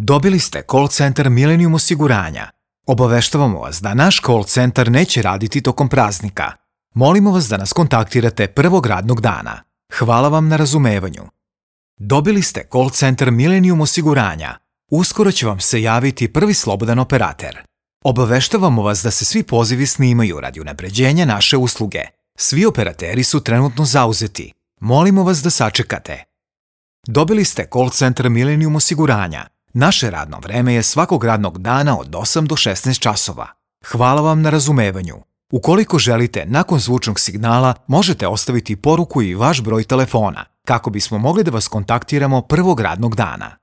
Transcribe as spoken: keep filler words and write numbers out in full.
Dobili ste call centar Millennium osiguranja. Obaveštavamo vas da naš call centar neće raditi tokom praznika. Molimo vas da nas kontaktirate prvog radnog dana. Hvala vam na razumevanju. Dobili ste call centar Millennium osiguranja. Uskoro će vam se javiti prvi slobodan operater. Obaveštavamo vas da se svi pozivi snimaju radi unapređenja naše usluge. Svi operateri su trenutno zauzeti. Molimo vas da sačekate. Dobili ste call centar Millennium osiguranja. Naše radno vreme je svakog radnog dana od osam do šesnaest časova. Hvala vam na razumevanju. Ukoliko želite, nakon zvučnog signala možete ostaviti poruku i vaš broj telefona, kako bismo mogli da vas kontaktiramo prvog radnog dana.